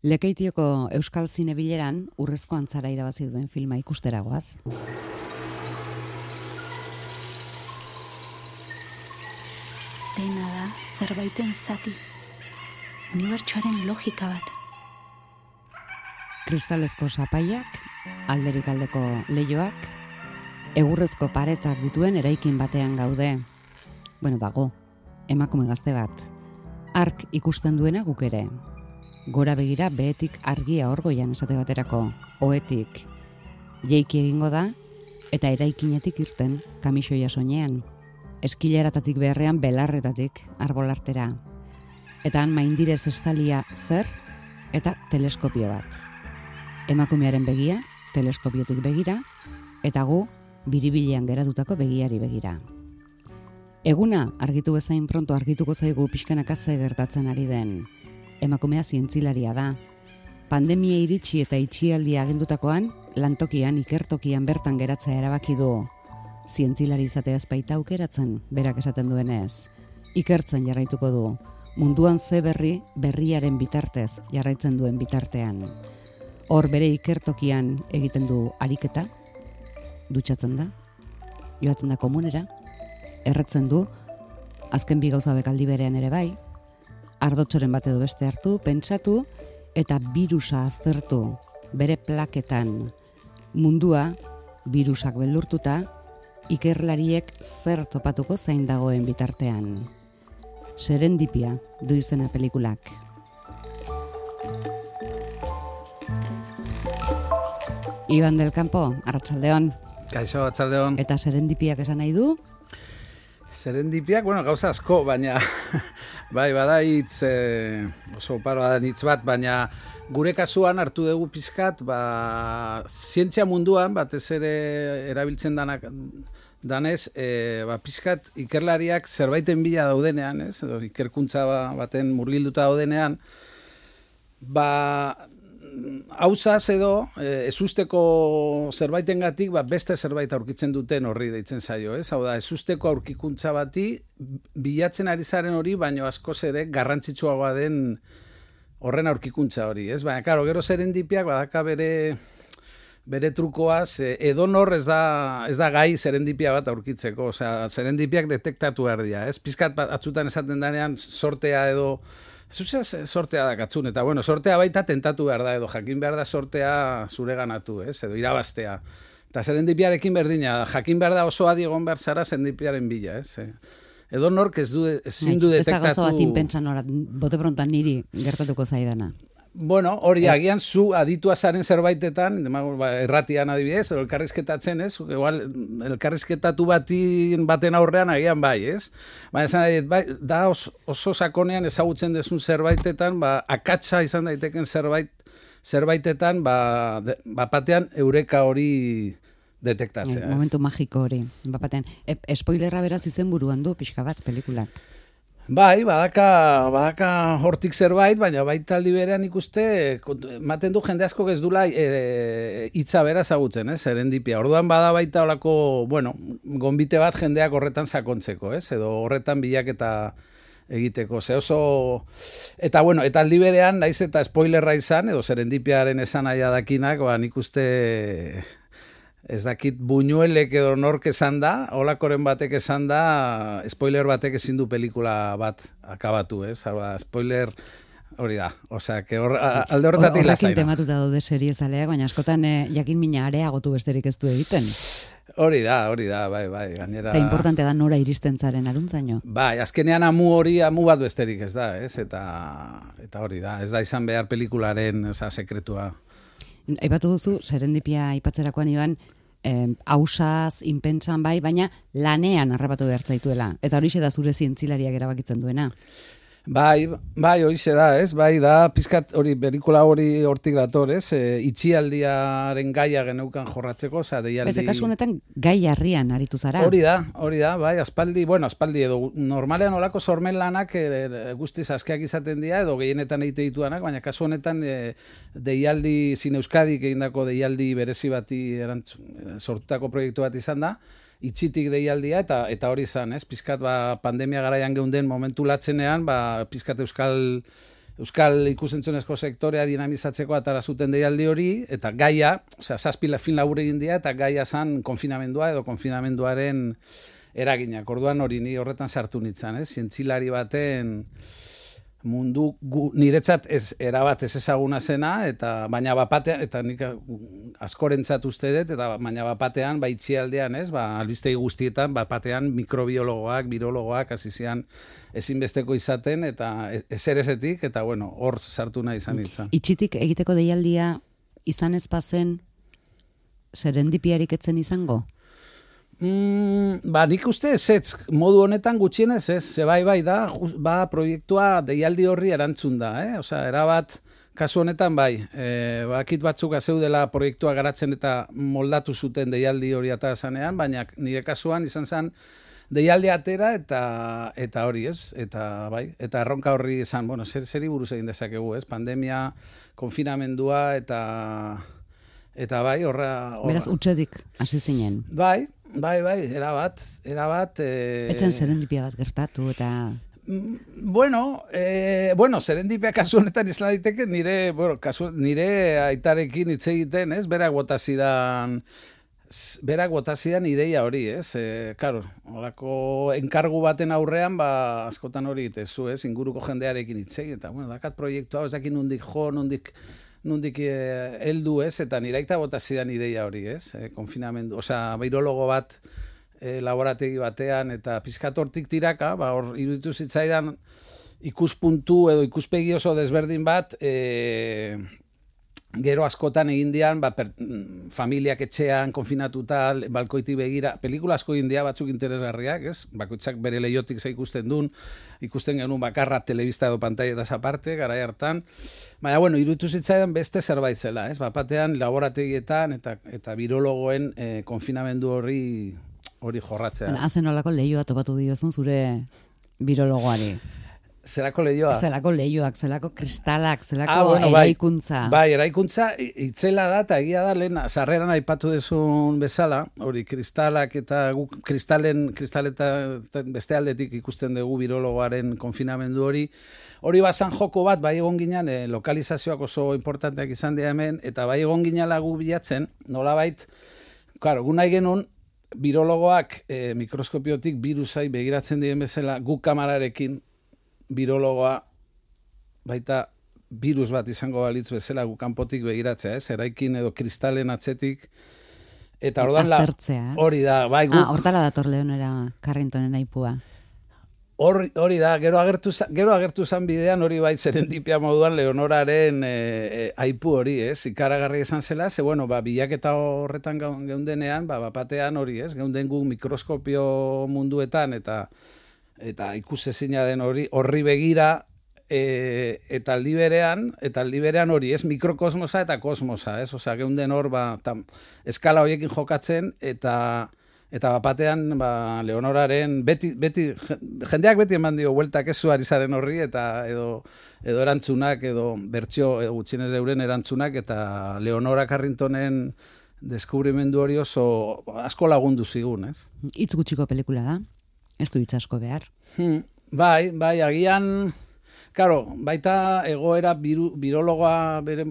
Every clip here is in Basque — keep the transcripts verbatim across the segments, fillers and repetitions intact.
Lekeitioko Euskal Zinebileran urrezko antzara irabazi duen filma ikusteragoaz. Dena da zerbaiten zati. Unibertsoaren logika bat. Kristalezko sapaiak, alderik aldeko leihoak, egurrezko paretak dituen eraikin batean gaude. Bueno, dago, emakume gazte bat. Ark ikusten duena guk ere. Gora begira behetik argia orgoian esate baterako, ohetik. Jeiki egingo da, eta eraikinetik irten kamisoia soinean. Eskileratatik beharrean belarretatik arbolartera. Eta han maindirez estalia zer eta teleskopio bat. Emakumearen begia, teleskopiotik begira, eta gu biribilean geratutako begiari begira. Eguna argitu bezain pronto argituko zaigu pixkanaka ze gertatzen ari den. Emakumea zientzilaria da. Pandemia iritsi eta itxialdia agendutakoan, lantokian, ikertokian bertan geratzea erabaki du. Zientzilari izatea ez baita aukeratzen, berak esaten duenez. Ikertzen jarraituko du. Munduan ze berri, berriaren bitartez jarraitzen duen bitartean. Hor bere ikertokian egiten du ariketa, dutxatzen da, joaten da komunera, erretzen du, azken bi gauza bekaldi berean ere bai, ardotxoren bat edo beste hartu, pentsatu, eta birusa aztertu, bere plaketan. Mundua, birusak beldurtuta, ikerlariek zer topatuko zain dagoen bitartean. Serendipia du izena pelikulak. Iban del Campo, arratsaldeon. Kaixo, arratsaldeon. Eta serendipiak esan nahi du? Serendipiak, bueno, gauza asko, baina bai, bada hitz eh, oso paroa da hitz bat, baina gure kasuan hartu dugu pizkat, ba, zientzia munduan, batez ere erabiltzen danak danez, e, ba, pizkat ikerlariak zerbaiten bila daudenean, ez? Edo ikerkuntza baten murgilduta daudenean, ba, hauzaz edo, e, ezusteko zerbaitengatik ba, beste zerbait aurkitzen duten horri deitzen zaio, ez? Hau da, ezusteko aurkikuntza bati bilatzen ari zaren hori, baino askoz ere garrantzitsuagoa den horren aurkikuntza hori, ez? Baina, karo, gero serendipiak badaka bere bere trukoaz, edonor ez da, ez da gai serendipia bat aurkitzeko, osea, serendipiak detektatu behar dira, ez? Pizkat atzutan esaten danean sortea edo, zuzea sortea da katzun, eta bueno, sortea baita tentatu behar da, edo jakin behar da sortea zure ganatu, ez? Edo irabaztea. Eta serendipiarekin berdina, jakin behar da oso adi egon behar zara serendipiaren bila, ez? Edo nork ez du, ezin du detektatu... Ez da gauza bat inpentsan horat, bote prontan niri gertatuko zaidana. Bueno, hori agian zu aditua zaren zerbaitetan, erratian adibidez, edo elkarrizketatzen, ez? Igual, elkarrizketatu batin baten aurrean agian bai, ez? Baina esan bai, da oso, oso sakonean ezagutzen dezun zerbaitetan, ba, akatsa izan daiteken zerbait, zerbaitetan, ba, de, bapatean eureka hori detektatzea. E, momentu magiko hori, bapatean. E, spoilerra beraz izen buruan du, pixka bat, pelikulak. Bai, badaka, badaka hortik zerbait, baina baita aldi berean ikuste, ematen du jende asko ez dula e, hitza bera ezagutzen, ez, serendipia. Orduan bada baita olako, bueno, gonbite bat jendeak horretan sakontzeko, ez, edo horretan bilaketa egiteko. Ze oso, eta bueno, eta aldi berean, naiz eta spoilerra izan, edo serendipiaren esan aia dakinak, ba, nik uste... Ez dakit Buñuelek edo nork esan da, holakoren batek esan da, spoiler batek ezin du pelikula bat akabatu, ez? Hau spoiler hori da. Osea, que hor, alde horretatik lasaina. Horrekin tematuta daude seriezaleak, baina askotan eh, jakin mina areagotu besterik ez du egiten. Hori da, hori da, bai, bai. Gainera... Eta importante da nora iristen zaren aruntzaino. Bai, azkenean amu hori, amu bat besterik ez da, ez? Eta, eta hori da, ez da izan behar pelikularen oza, sekretua. Aipatu duzu, serendipia aipatzerakoan iban, eh, hausaz, inpentsan bai, baina lanean harrapatu behar zaituela. Eta horixe da zure zientzilariak erabakitzen duena. Bai, bai, horixe da, ez? Bai, da, pizkat hori, berikula hori hortik dator, ez? E, itxialdiaren gaia geneukan jorratzeko, oza, deialdi... Ez, kasu honetan gai harrian aritu zara. Hori da, hori da, bai, aspaldi, bueno, aspaldi edo, normalean olako sormen lanak e, guztiz askeak izaten dira, edo gehienetan egite dituanak, baina kasu honetan e, deialdi, Zine Euskadik egindako deialdi berezi bati erantzun, sortutako proiektu bat izan da, itxitik deialdia, eta eta hori izan, ez? Pizkat ba, pandemia garaian geunden momentu latzenean, ba, pizkat euskal Euskal ikusentzunezko sektorea dinamizatzeko atara zuten deialdi hori, eta gaia, osea, zazpi film labur egin dira, eta gaia zan konfinamendua edo konfinamenduaren eraginak. Orduan hori ni horretan sartu nintzen, eh? Zientzilari baten mundu gu, niretzat ez erabat ez ezaguna zena, eta baina bapatean, eta nik askorentzat uste dut, eta baina bapatean, ba itxialdean, ez, ba, albistegi guztietan, bapatean mikrobiologoak, virologoak, hasi zian ezinbesteko izaten, eta ezer ezetik, eta bueno, hor sartu nahi izan nintzen. Itxitik egiteko deialdia izan ez bazen serendipiarik etzen izango? Mm, ba, nik uste ez ez, modu honetan gutxienez ez, ze bai bai da, just, ba, proiektua deialdi horri erantzun da, eh? Osea, erabat, kasu honetan bai, e, bakit batzuk azeudela proiektua garatzen eta moldatu zuten deialdi hori eta zanean, baina nire kasuan izan zen deialdi atera eta eta hori ez, eta bai, eta erronka horri izan, bueno, zer, zeri buruz egin dezakegu, ez, pandemia, konfinamendua eta eta bai, horra... horra. Beraz, utxedik hasi zinen. Bai, Bai, bai, erabat, erabat... Eh... Etzen serendipia bat gertatu eta... Bueno, eh, bueno, serendipia kasu honetan izan daiteke nire, bueno, kasu, nire aitarekin hitz egiten, ez? Berak botazidan, berak botazidan ideia hori, ez? Eh, claro, holako enkargu baten aurrean, ba, askotan hori itezu, ez? Inguruko jendearekin hitz egin, eta, bueno, dakat proiektua, ez dakit nondik jo, nondik... nondik heldu ez, eta niraita bota zidan ideia hori, ez? E, konfinamendu, osea, virologo bat e, laborategi batean, eta pizkatortik tiraka, ba, hor iruditu zitzaidan ikuspuntu edo ikuspegi oso desberdin bat, e, gero askotan egin dian, ba, per, familiak etxean, konfinatuta, balkoitik begira, pelikula asko egin dia batzuk interesgarriak, ez? Bakoitzak bere leiotik ze ikusten duen, ikusten genuen bakarra telebista edo pantaietaz aparte, garai hartan. Baina, bueno, iruditu zitzaidan beste zerbait zela, ez? Bapatean, laborategietan eta eta virologoen eh, konfinamendu hori hori jorratzea. Bueno, hazen olako lehioa topatu diozun zure virologoari. Zelako lehioa? Zelako lehioak, zelako kristalak, zelako ah, bueno, eraikuntza. Bai, bai, eraikuntza itzela da, eta egia da, lehen, sarreran aipatu dezun bezala, hori kristalak eta guk kristalen, kristaleta beste aldetik ikusten dugu virologoaren konfinamendu hori. Hori bazan joko bat, bai egon ginen, eh, lokalizazioak oso importanteak izan dira hemen, eta bai egon ginela gu bilatzen, nolabait, claro, gu nahi genuen, virologoak eh, mikroskopiotik virusai begiratzen diren bezala, guk kamararekin, virologoa baita virus bat izango balitz bezala gu kanpotik begiratzea, ez? Eraikin edo kristalen atzetik. Eta orduan la hori da, bai guk. Ah, hortara dator Leonora Carringtonen aipua. Hori, hori da, gero agertu gero agertu zan bidean hori bai serendipia moduan Leonoraren e, e, aipu hori, ez? Ikaragarri izan zela, ze bueno, ba bilaketa horretan geundenean, ba bapatean hori, ez? Geunden gu mikroskopio munduetan eta eta ikusezina den hori horri begira e, eta aldi berean eta aldi berean hori ez mikrokosmosa eta kosmosa, ez? Osea, geunden hor ba tam, eskala horiekin jokatzen eta eta bapatean ba Leonoraren beti beti jendeak beti eman dio bueltak ezu ari zaren horri eta edo edo erantzunak edo bertsio gutxienez euren erantzunak eta Leonora Carringtonen deskubrimendu hori oso asko lagundu zigun, ez? Hitz gutxiko pelikula da. Ez du hitz asko behar. Hmm, bai, bai, agian, claro, baita egoera biru, birologoa bere,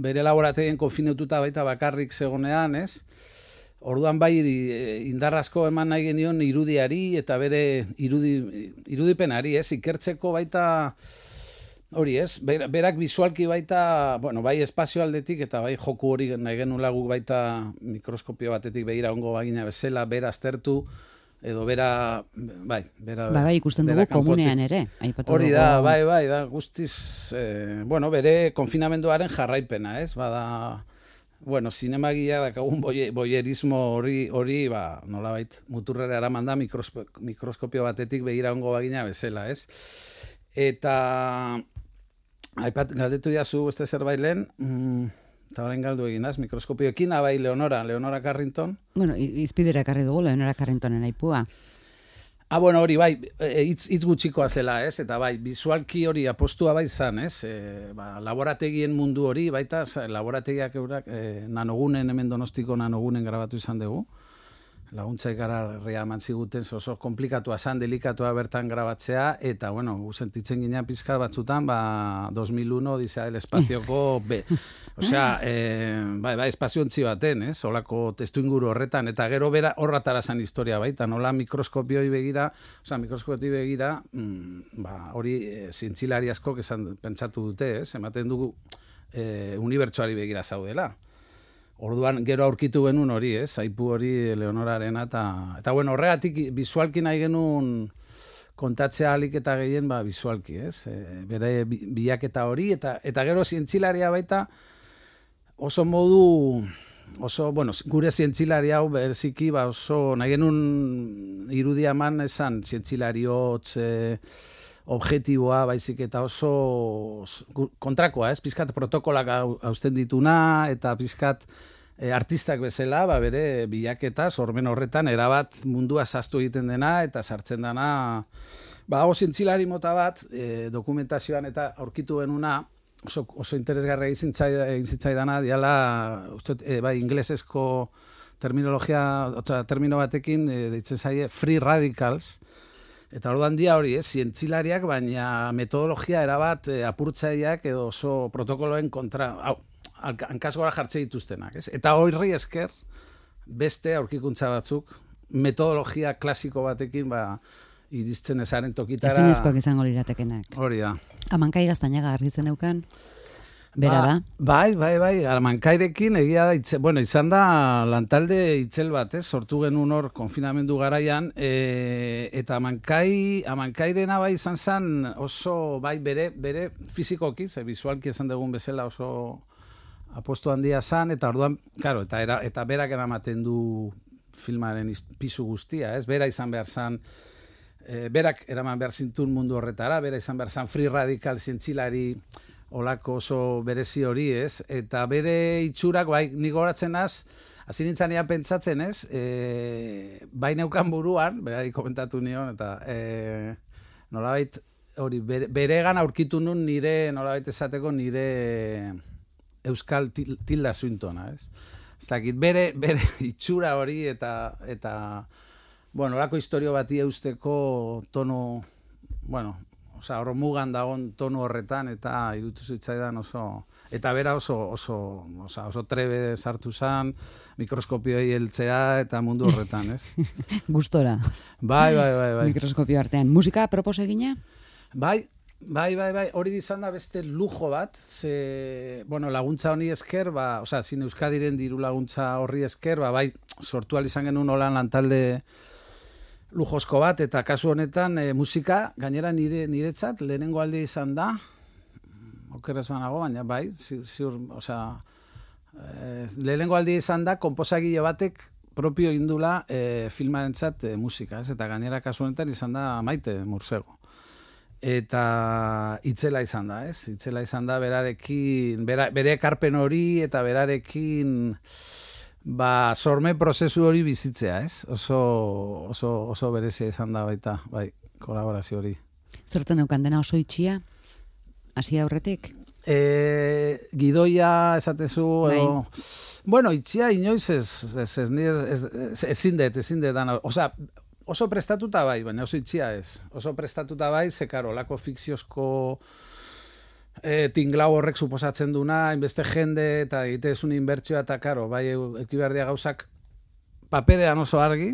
bere laborategien konfinatuta baita bakarrik zegonean, ez? Orduan bai indarrazko eman nahi genion irudiari eta bere irudi, irudipenari, ez? Ikertzeko baita hori, ez? Berak visualki baita, bueno, bai espazio aldetik eta bai joku hori nahi genuen lagu baita mikroskopio batetik begira ongo bagina bezala, bera aztertu, edo bera, bai, bera... Bai, bai, ikusten dugu komunean ere. Hori da, bai, bai, da, guztiz, eh, bueno, bere konfinamenduaren jarraipena, ez? Bada, bueno, zinemagia dakagun boie, boierismo hori, hori, ba, nolabait, muturrera eraman da mikroskopio batetik begira ongo bagina bezala, ez? Eta, aipat, galdetu jazu beste zerbait lehen, mm, eta horrein galdu eginaz, mikroskopioekin, abai Leonora, Leonora Carrington. Bueno, izpidera ekarri dugu Leonora Carringtonen aipua. Ah, bueno, hori, bai, hitz hitz gutxikoa zela, ez? Eta bai, visualki hori apostua bai zan, ez? E, ba, laborategien mundu hori, baita, laborategiak eurak, e, nanogunen, hemen Donostiko nanogunen grabatu izan dugu. laguntza ikararria eman ziguten, oso komplikatua zan, delikatua bertan grabatzea, eta, bueno, gu sentitzen ginean pizkar batzutan, ba, dos mil uno, Odisea del Espazioko, be, osea, eh, bai, bai, espaziontzi baten, ez, olako testu inguru horretan, eta gero bera horratara zan historia baita, nola mikroskopioi begira, osea, mikroskopioi begira, mm, ba, hori e, zientzilari asko esan pentsatu dute, ez, ematen dugu e, unibertsuari begira zaudela. Orduan gero aurkitu genuen hori, ez? Aipu hori Leonorarena eta eta bueno, horregatik bisualki nahi genuen kontatzea alik eta gehien ba bisualki, ez? E, bere bilaketa hori eta eta gero zientzilaria baita oso modu oso, bueno, gure zientzilari hau bereziki ba oso nahi genuen irudia eman esan zientzilariotz e, objektiboa baizik eta oso kontrakoa, ez? Pizkat protokolak hausten dituna eta pizkat e, artistak bezala, ba bere bilaketa sormen horretan erabat mundua zaztu egiten dena eta sartzen dena ba hau zientzilari mota bat e, dokumentazioan eta aurkitu genuna oso oso interesgarria egin zitzaidana diala uste e, bai ingelesezko terminologia otra termino batekin e, deitzen zaie free radicals. Eta orduan dia hori, ez, zientzilariak, baina metodologia erabat e, apurtzaileak edo oso protokoloen kontra, hau, hankaz gora jartze dituztenak, ez? Eta horri esker, beste aurkikuntza batzuk, metodologia klasiko batekin, ba, iriztzen ezaren tokitara. Ezinezkoak izango liratekenak. Hori da. Amankai Gaztañaga argitzen eukan, bera da. Ba, bai, bai, bai, Amankairekin egia da, itze, bueno, izan da lantalde itzel bat, ez, sortu genuen hor konfinamendu garaian, e, eta Amankai, Amankairena bai izan zen oso, bai, bere, bere fizikoki, ze visualki esan dugun bezala oso apostu handia zen, eta orduan, claro, eta, era, eta berak eramaten du filmaren pisu guztia, ez, bera izan behar zen, e, berak eraman behar zintun mundu horretara, bera izan behar zen free radical zientzilari, olako oso berezi hori, ez? Eta bere itxurak, bai, nik horatzen az, hasi nintzen ea pentsatzen, ez? E, bai neukan buruan, berari komentatu nion, eta e, nolabait, hori, bere, beregan aurkitu nun nire, nolabait esateko, nire euskal til, tilda zuintona, ez? Ez dakit, bere, bere itxura hori, eta, eta bueno, olako historio bati eusteko tono, bueno, Osa, hor mugan dagoen tonu horretan eta irutu zitzaidan oso... Eta bera oso, oso, oso, oso trebe sartu zen, mikroskopioi heltzea eta mundu horretan, ez? Gustora. Bai, bai, bai, bai. Mikroskopio artean. Musika apropos egina? Bai, bai, bai, bai. Hori izan da beste lujo bat, ze, bueno, laguntza honi esker, ba, osa, Zine Euskadiren diru laguntza horri esker, ba, bai, sortu ahal izan genuen holan lantalde lujosko bat, eta kasu honetan e, musika, gainera nire niretzat, lehenengo aldi izan da, okeraz banago, baina bai, ziur, osea, e, lehenengo aldi izan da, konposagile batek propio indula e, filmarentzat e, musika, ez? Eta gainera kasu honetan izan da Maite Mursego. Eta itzela izan da, ez? Itzela izan da berarekin, bera, bere ekarpen hori, eta berarekin... Ba, sorme prozesu hori bizitzea, ez? Oso, oso, oso berezia izan da baita, bai, kolaborazio hori. Zertan eukan dena oso itxia? Hasi aurretik? E, gidoia esatezu, bai. edo, bueno, itxia inoiz ez, ez, ez, ez, ez, ezin dut, ezin dut dana. Osa, oso prestatuta bai, baina oso itxia ez. Oso prestatuta bai, ze karo, lako fikziozko... E, tinglau horrek suposatzen duna, inbeste jende eta egitezun inbertsioa eta karo, bai ekibardia gauzak paperean oso argi,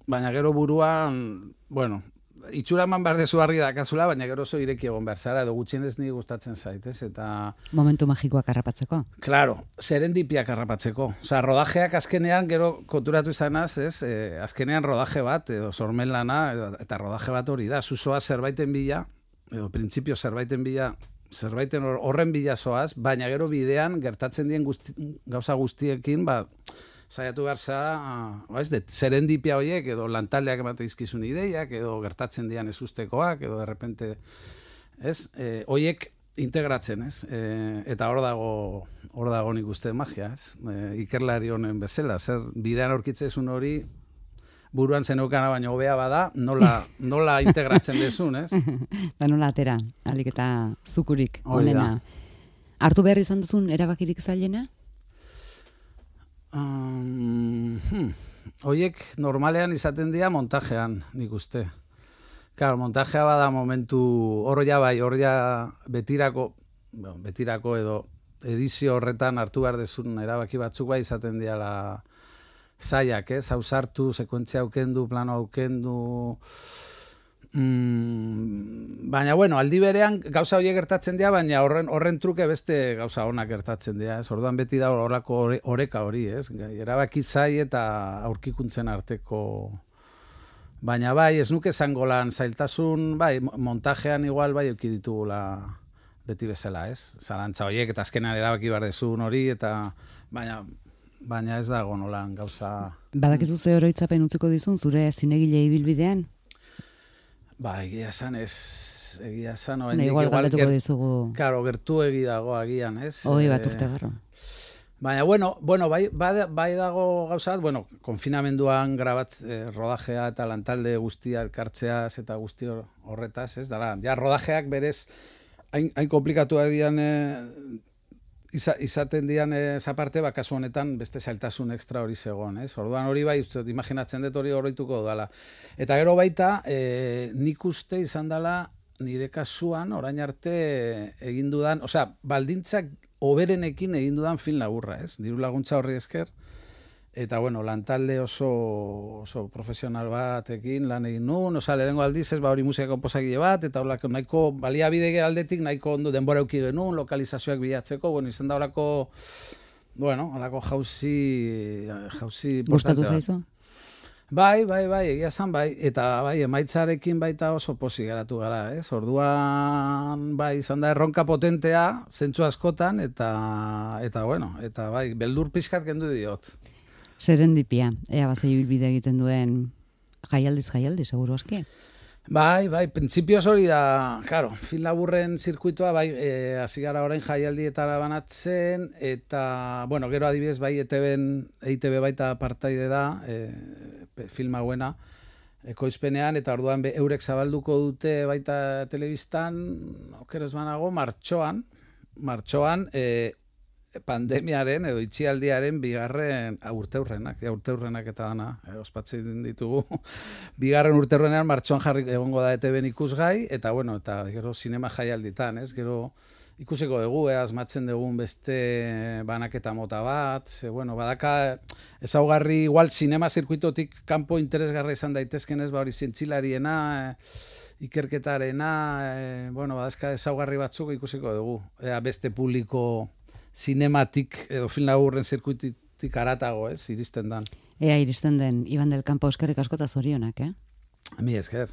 baina gero buruan, bueno, itxura eman behar dezu argi dakazula, baina gero oso ireki egon behar zara, edo gutxienez ni gustatzen zaitez, eta... Momentu magikoak harrapatzeko. Claro, serendipiak harrapatzeko. Osa, rodajeak azkenean, gero konturatu izanaz, ez, e, azkenean rodaje bat, edo sormen lana, edo, eta rodaje bat hori da, zuzoa zerbaiten bila, edo printzipio zerbaiten bila, zerbaiten horren bilazoaz, baina gero bidean gertatzen dien guzti, gauza guztiekin, ba, saiatu behar za, ba, ez det, serendipia horiek, edo lantaldeak emate izkizun ideiak, edo gertatzen dian ez ustekoak, edo de repente, ez, e, horiek integratzen, ez, e, eta hor dago, hor dago nik uste magia, ez, e, ikerlari honen bezala, zer bidean aurkitzezun hori, buruan zenukana baino hobea bada, nola, nola integratzen dezun, ez? Da nola atera, alik eta zukurik, onena. Hartu behar izan duzun erabakirik zailena? Um, hmm. hoiek normalean izaten dira montajean, nik uste. Claro, montajea bada momentu, hor ja bai, hor ja betirako, bueno, betirako edo edizio horretan hartu behar dezun erabaki batzuk bai izaten diala zaiak, ez? Hausartu, sekuentzia aukendu, plano aukendu... Mm, baina, bueno, aldi berean gauza horiek gertatzen dira, baina horren, horren truke beste gauza onak gertatzen dira, ez? Orduan beti da horrako oreka hori, ez? Erabaki zai eta aurkikuntzen arteko... Baina bai, ez nuke zango lan zailtasun, bai, montajean igual bai euki ditugula beti bezala, ez? Zalantza horiek eta azkenan erabaki behar dezun hori, eta baina, baina ez dago nolan gauza... Badakizu ze oroitzapen utziko dizun zure zinegile ibilbidean? Ba, egia esan ez, egia esan... Ne, igual galdetuko dizugu... Claro, gertu egi dago agian, ez? Hoi bat urte barro. Baina, bueno, bueno bai, bai dago gauza, bueno, konfinamenduan grabat eh, rodajea eta lantalde guztia elkartzeaz eta guzti horretaz, ez? Dara, ja, rodajeak berez, hain, hain komplikatu dian, eh, iza, izaten dian eza parte, bakazu honetan beste zailtasun ekstra hori zegoen, ez? Orduan hori bai, uste, imaginatzen dut hori horreituko dala. Eta gero baita, eh, nik uste izan dela nire kasuan, orain arte egin dudan, osea, baldintzak oberenekin egin dudan film laburra, ez? Diru laguntza horri esker, eta bueno, lantalde oso, oso profesional batekin lan egin nuen, osea, lehenengo aldiz ez, ba hori musika konposagile bat, eta horako nahiko baliabide aldetik nahiko ondo denbora euki genuen, lokalizazioak bilatzeko, bueno, izan da horako, bueno, horako jauzi, jauzi... Gustatu zaizu? Bai, bai, bai, egia zan, bai, eta bai, emaitzarekin baita oso posi geratu gara, ez? Orduan, bai, izan da erronka potentea, zentzu askotan, eta, eta bueno, eta bai, beldur pixkat kendu diot. Serendipia, ea bazai bilbide egiten duen jaialdiz jaialdi, seguru aski? Bai, bai, printzipioz hori da, claro, film laburren zirkuitoa, bai, e, hasi gara orain jaialdietara banatzen, eta, bueno, gero adibidez, bai, E T B-en, E I T B baita partaide da, e, film hauena, ekoizpenean, eta orduan be, eurek zabalduko dute baita telebistan, okeres banago, martxoan, martxoan, e, pandemiaren edo itxialdiaren bigarren urteurrenak, ja, urteurrenak eta dana, e, ospatzen ditugu, bigarren urteurrenean martxoan jarri egongo da E T B-en ikusgai, eta bueno, eta gero sinema jaialditan, ez, gero ikusiko dugu, eh, asmatzen dugun beste banaketa mota bat, ze, bueno, badaka ezaugarri igual sinema zirkuitotik kanpo interesgarra izan daitezken ez, ba hori zientzilariena, e, ikerketarena, e, bueno, badazka ezaugarri batzuk ikusiko dugu, ea beste publiko sinematik edo film laburren zirkuitik aratago, ez, iristen dan. Ea iristen den, Iban del Campo eskerrik asko eta zorionak, eh? Mi esker.